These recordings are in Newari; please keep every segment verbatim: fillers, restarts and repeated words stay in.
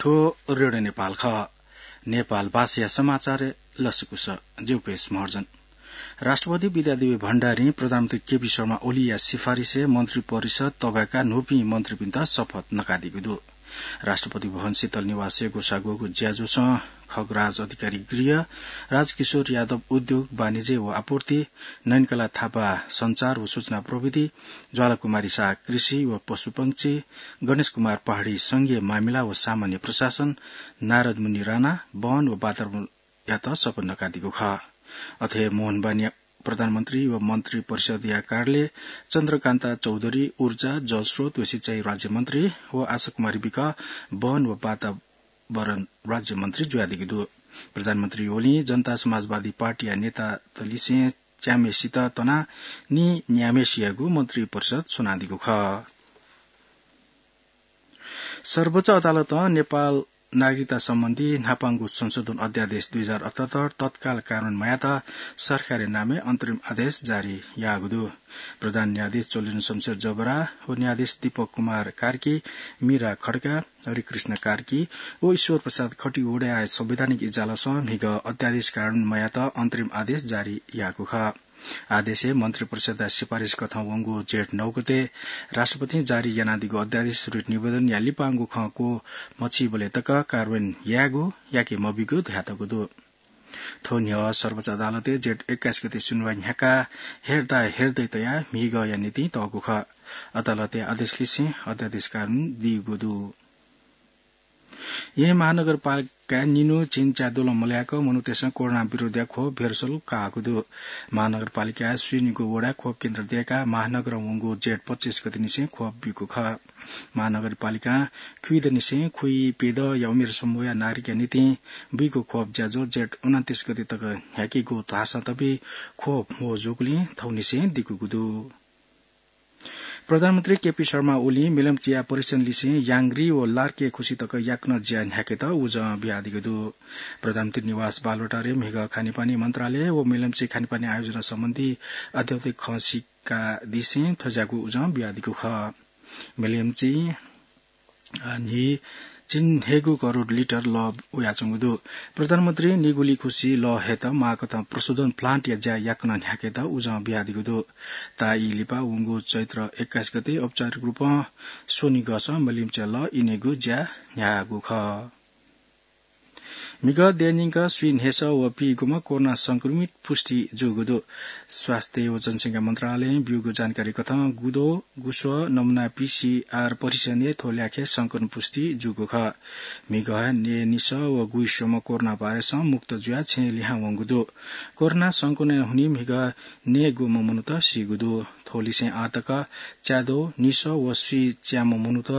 थ्व रेडियो नेपाल खः। नेपाल भाषाया समाचार लसकुस। ज्यू पेश महर्जन। राष्ट्रपति विद्यादेवी भण्डारीं प्रधानमन्त्री केपी शर्मा ओलीया सिफारिसय् मन्त्री परिषद तःबाय्का न्हूपिं मन्त्रीपिन्त शपथ नकादीगु दु। राष्ट्रपति भवन शीतल निवासय् ग्वसाः ग्वःगु ज्याझ्वलय् खगराज अधिकारी गृह, राजकिशोर यादव उद्योग, वाणिज्य व आपूर्ति, नयनकला थापा सञ्चार व सूचना प्रविधि, ज्वालाकुमारी शाह कृषि व पशुपक्षी, गणेश कुमार पहाडी संघीय मामिला व सामान्य प्रशासन, नारद मुनि राणा वन व वातावरणयात शपथ नकादीगु खः। अथे मोहन बानिया प्रधानमन्त्री व मन्त्री परिषदया कार्यालय, चन्द्रकान्ता चौधरी ऊर्जा, जलस्रोत व सिँचाइ राज्यमन्त्री व आशा कुमारी विक वन व वातावरण राज्यमन्त्री जुयादीगु दु। प्रधानमन्त्री ओलीं जनता समाजवादी पार्टीया नेतातलिसें च्याम्हेसित तनाः नीन्याम्हेसियागु मन्त्री परिषद स्वनादीगु खः। सर्वोच्च अदालतं नेपाल नागरिकता सम्बन्धी न्हापांगु संशोधन अध्यादेश दुई हजार अठहत्तर तत्काल कार्यान्वयन मयात सरकारया नामय् अन्तरिम आदेश जारी याःगु दु। प्रधान न्यायाधीश चोलेन्द्र शमशेर जबरा व न्यायाधीश दीपक कुमार कार्की, मीरा खड्का, हरिकृष्ण कार्की व ईश्वर प्रसाद खतिवडाया संवैधानिक इजलासं म्हिगः अध्यादेश कार्यान्वयन मयात अन्तरिम आदेश जारी याःगु खः। आदेशय् मन्त्री परिषदया सिफारिस कथं वंगु जेठ नौ गते राष्ट्रपतिं जारी यानादीगु अध्यादेश रिट निवेदनया लिपांगु खँ क्वः मछिंबलय् तक कार्यान्वयन यायेगु याके मबीगु धयातःगु दु। थ्व न्ह्यः सर्वोच्च अदालतय् जेठ एक्काइस गते सुनवाई न्ह्याकाः हेर्दा हेर्दै तयाः म्हिगःया निंतिं तःगु खः। अदालतया आदेशलिसें अध्यादेश कार्यान्वयन दीगु दु। येँ महानगरपालिकाय् निन्हु झिंच्यादुलं मल्याक मनूतय्सं कोरोना विरोधया खोप भेरोसल काःगु दु। महानगरपालिकाय् स्वीनिगू वडाय् खोप केन्द्र दय्काः महानगरं वंगु जेठ पच्चिस गतेनिसें खोप बीगु खः। महानगरपालिकां खुइदनिसें खुइ प्यदँया उमेर समूहया नागरिकया निंतिं बीगु खोप ज्याझ्वः जेठ उनन्तीस गते तक न्ह्याकेगु धाःसां तबि खोप म्हो जूगुलिं थौंनिसें दिकूगु दु। प्रधानमन्त्री केपी शर्मा ओलीं मेलम्चीया परीक्षणलिसें याङ्ग्री व लार्के खुसि तक याकनं ज्या न्ह्याकेत उजं बियादीगु दु। प्रधानमन्त्री निवास बालुवाटारय् म्हिगः खानेपानी मन्त्रालय व मेलम्ची खानेपानी आयोजना सम्बन्धी अध्यावधिक खँ सिकादिसें थज्याःगु उजं बियादीगु खः। मेलम्ची न्हि चिन्हेगु करोड लिटर लः वयाच्वंगु दु। प्रधानमन्त्री निगुली खुसि लः हयेत माःकथं प्रशोधन प्लान्टया ज्या याकनं न्ह्याकेत उजं बियादीगु दु। ताःई लिपा वंगु चैत्र एक्काइस गते औपचारिक रूपं स्वनिगःसं मेलम्चीया लः इनेगु ज्या न्ह्याःगु खः। म्हिगः देय् न्यंक स्वीन्हय्सः व पीगुम्ह कोरोना संक्रमित पुष्टि जूगु दु। स्वास्थ्य व जनसंख्या मन्त्रालयं ब्यूगु जानकारी कथं गुदो गुस्वः नमुना पीसीआर परीक्षणय् थ्व ल्याखय् संक्रमण पुष्टि जूगु खः। म्हिगः नयेनिसः व गुइस्वम्ह कोरोना भाइरसं मुक्त जुयाः छेँय् लिहां वंगु दु। कोरोना संक्रमणया हुनिं म्हिगः नयेगुम्ह मनूत सीगु दु। थ्वलिसें आःतक च्याद्वः निसः व स्वीच्याम्ह मनूत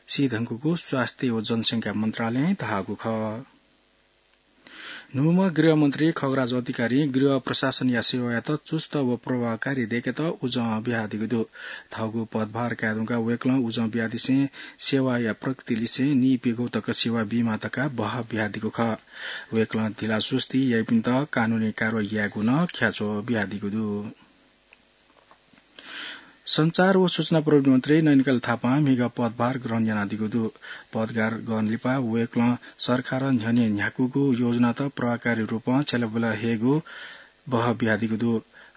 सीधुंकूगु स्वास्थ्य व जनसंख्या मन्त्रालयं धाःगु खः। न्हूम्ह गृहमन्त्री खगराज अधिकारीं गृह प्रशासनया सेवायात चुस्त व प्रभावकारी दय्केत उजं बियादीगु दु। थःगु पदभार कायेधुंकाः वय्कलं उजं बियादिसें सेवाया प्रकृतिलिसें नीप्यघौ तक सेवा बीमाः धकाः बहः बियादीगु खः। वय्कलं ढिलासुस्ती याइपिन्त कानूनी कारवाही यायेगु नं ख्याच्वः बियादीगु दु। सञ्चार व सूचना प्रविधि मन्त्री नयनकला थापां म्हिगः पदभार ग्रहण यानादीगु दु। पदभार ग्रहण लिपा वय्कलं सरकारं न्ह्यःने न्ह्याकूगु योजनात प्रभावकारी रूपं छ्यलाबुला हयेगु बहः बियादीगु दु।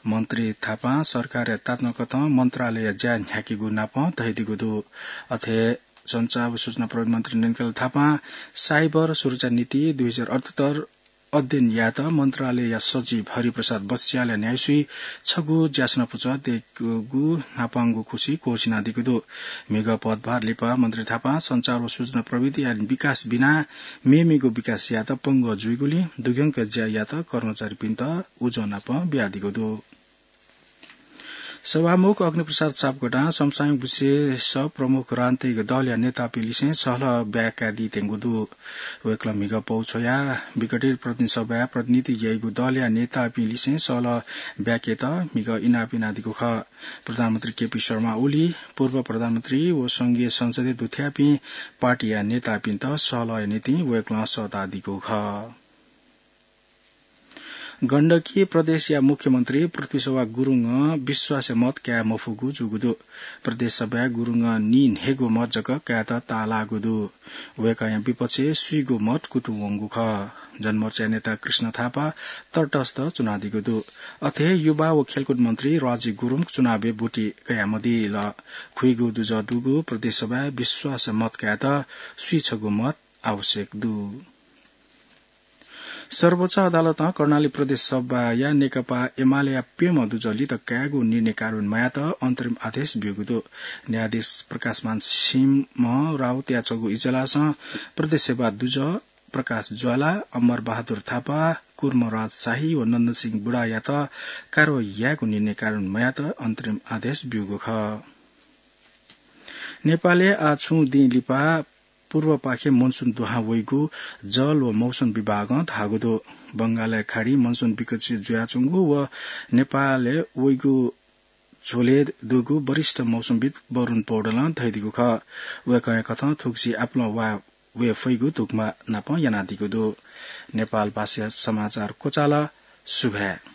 मन्त्री थापां सरकारया तातुनाकथं मन्त्रालयया ज्या न्ह्याकेगु नापं धयादीगु दु। अथे सञ्चार व सूचना प्रविधि मन्त्री नयनकला थापां साइबर सुरक्षा नीति दुई हजार अठहत्तर अध्ययन यायेत मन्त्रालयया सचिव हरिप्रसाद बस्यालया न्ह्याइसुइ छगू ज्यासना पुचः दयेकूगु न्हापांगु खुसि क्वःछिनादीगु दु। म्हिगः पदभार लिपा मन्त्री थापां सञ्चार व सूचना प्रविधिया विकास बिना मेमेगु विकास यायेत पंगः जुइगुलिं दुग्यंक ज्या यायेत कर्मचारीपिन्त उजं नापं बियादीगु दु। सभामुख अग्निप्रसाद सापकोटां समसामयिक विषयस प्रमुख राजनैतिक दलया नेतापिंलिसें सहलह ब्याकादी त्यंगु दु। वय्कलं म्हिगः पौ छ्वयाः विघटित प्रतिनिधि सभाय् प्रतिनिधित्व याइगु दलया नेतापिंलिसें सहलह ब्याकेत म्हिगः इनाप यानादीगु खः। प्रधानमन्त्री केपी शर्मा ओली, पूर्व प्रधानमन्त्री व संघीय संसदय् दुथ्याःपिं पार्टीया नेतापिन्त सहलहया निंतिं वय्कलं सःतादीगु खः। गण्डकी प्रदेशया मुख्यमन्त्री पृथ्वीशोभा गुरुङं विश्वासया मत काये मफुगु जूगु दु। प्रदेश सभाय् गुरुङं नीन्हय्‌गू मत जक कायेत ताःलाःगु दु। वय्‌कःया विपक्षय् स्वीगू मत कुतुं वंगु खः। जनमोर्चाया नेता कृष्ण थापा तटस्थ च्वनादीगु दु। अथे हे युवा व खेलकुद मन्त्री राजी गुरुङ चुनावय् ब्वति कयामदिल। खुइगू दुजः दुगु प्रदेश सभाय् विश्वासया मत कायेत स्वीछगू मत आवश्यक दु। सर्वोच्च अदालतं कर्णाली प्रदेश सभाया नेकपा एमालेया प्यम्ह दुजः लित कायेगु निर्णय कार्यान्वयन मयात अन्तरिम आदेश ब्यूगु दु। न्यायाधीश प्रकाशमान सिंह राउतया छगू इजलासं प्रदेश सभा दुजः प्रकाश ज्वाला, अमर बहादुर थापा, कुर्मराज शाही व नन्दसिंह बुढायात कारवाही यायेगु निर्णय कार्यान्वयन मयात अन्तरिम आदेश ब्यूगु खः। नेपालय् आः छुं दिं लिपा पूर्वपाखे मनसुन दुहां वइगु जल व मौसम विभागं धाःगु दु। बंगालया खाडी मनसुन विकसित जुयाच्वंगु व नेपालय् वइगु झ्वलय् दुगु वरिष्ठ मौसमविद् वरुण पौडेलं धयादीगु खः। वय्‌कःया कथं थुगुसी आपालं वा वये फइगु धुकुमा नापं यानादीगु दु। नेपाल भाषाया समाचार क्वचाल। सुभाय्।